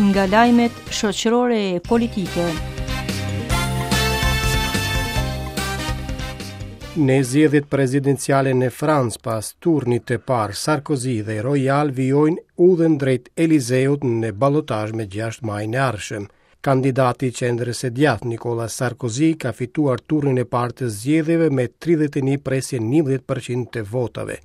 Nga lajmet shoqërore e politike. Në zgjedhjet presidenciale në Francë pas turnit të parë, Sarkozy dhe Royal vijojnë udhën drejt Elizeut në balotazh me 6 majin e ardhshëm. Kandidati i qendrës së djathtë Nicolas Sarkozy ka fituar turnin e parë të zgjedhjeve me 31 presje 11% të votave.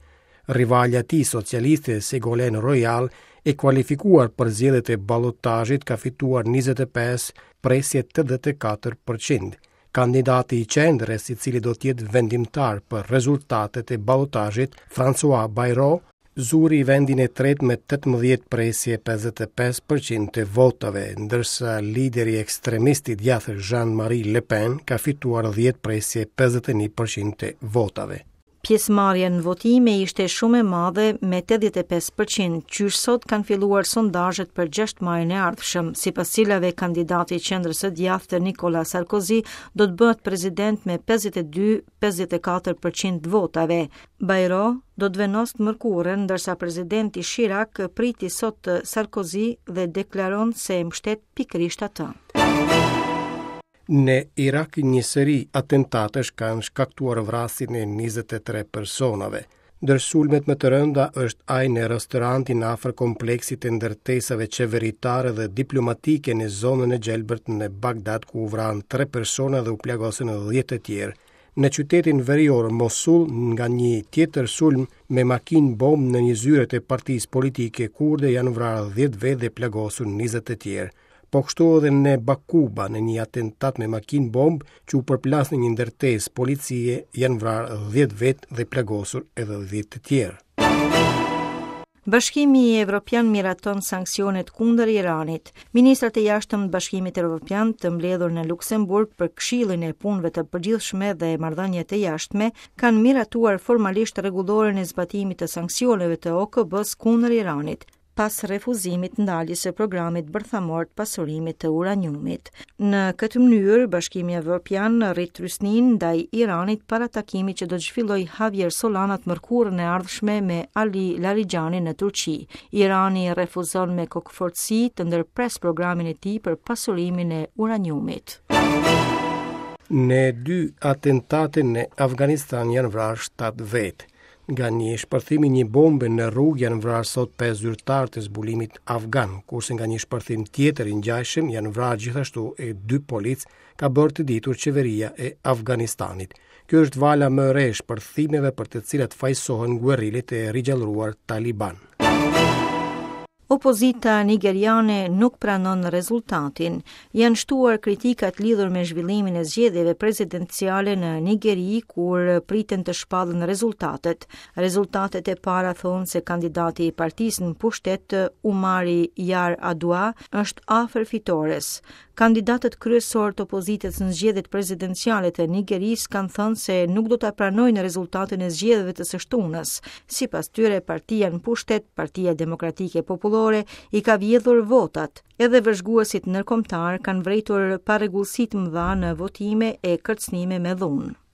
Rivalja e tij socialiste Ségolène Royal e kualifikuar për zgjedhjet e balotazhit ka fituar 25 presje 84%. Kandidati i qendrës, i cili do të jetë vendimtar për rezultatet e balotazhit, François Bayrou, zuri vendin e tretë me 18 presje 55% të votave, ndërsa lideri ekstremist i djathtë Jean-Marie Le Pen ka fituar 10 presje 51% të votave. Pjesëmarrja në votime ishte shumë e madhe me 85%, qysh sot kanë filluar sondazhet për 6 majin e ardhshëm, sipas cilave kandidati i qendrës së djathtë Nicolas Sarkozy do të bëhet president me 52-54% të votave. Bayrou do të vendosë të mërkurën, ndërsa presidenti Chirac priti sot Sarkozy dhe deklaron se e mbështet pikërisht atë. Në Irak një seri atentatesh kanë shkaktuar vrasjen e 23 personave. Ndër sulmet më të rënda është ai në restorantin afër kompleksit të ndërtesave qeveritare dhe diplomatike në zonën e gjelbërt në Bagdad ku u vranë 3 persona dhe u plagosën 10 të tjerë. Në qytetin verior Mosul nga një tjetër sulm me makinë bombë në një zyre të partisë politike kurde janë vrarë 10 vetë dhe plagosur 20 të tjerë. Po kështu edhe në Bakuba, në një atentat me makinë bombë që u përplas në një ndërtesë policie, janë vrarë 10 vetë dhe plagosur edhe 10 të tjerë. Bashkimi Evropian miraton sanksionet kundër Iranit. Ministrat e jashtëm të Bashkimit Evropian të mbledhur në Luksemburg për Këshillin e Punëve të Përgjithshme dhe Marrëdhëniet e Jashtme kanë miratuar formalisht rregulloren e zbatimit të sanksioneve të OKB-së kundër Iranit. pas refuzimit ndaljes së programit bërthamor të pasurimit të uraniumit. Në këtë mënyrë, Bashkimi Evropian rrit trysninë ndaj Iranit para takimit që do të zhvillojë Javier Solana të mërkurën e ardhshme me Ali Larijani në Turqi. Irani refuzon me kokëfortësi të ndërpresë programin e tij për pasurimin e uraniumit. Në dy atentate në Afganistan janë vrarë 7 vetë. Nga një shpërthim i një bombe në rrugë janë vrarë sot 5 zyrtarë të zbulimit afgan, kurse nga një shpërthim tjetër i ngjashëm janë vrarë gjithashtu e dy policë, ka bërë të ditur qeveria e Afganistanit. Kjo është vala më e re e shpërthimeve për të cilat fajësohen guerrilët e rigjallëruar Taliban. Opozita nigeriane nuk pranon rezultatin. Janë shtuar kritikat lidhur me zhvillimin e zgjedhjeve presidenciale në Nigeri, kur priten të shpallen rezultatet. Rezultatet e para thonë se kandidati i partisë në pushtet, Umaru Yar'Adua, është afër fitores. Kandidatët kryesorë të opozitës në zgjedhjet presidenciale të Nigerisë kanë thënë se nuk do ta pranojnë rezultatin e zgjedhjeve të së shtunës. Sipas tyre, partia në pushtet, Partia Demokratike Popullore, i ka vjedhur votat. Edhe vëzhguesit ndërkombëtarë kanë vërejtur parregullsi të mëdha në votime e kërcënime me dhunë.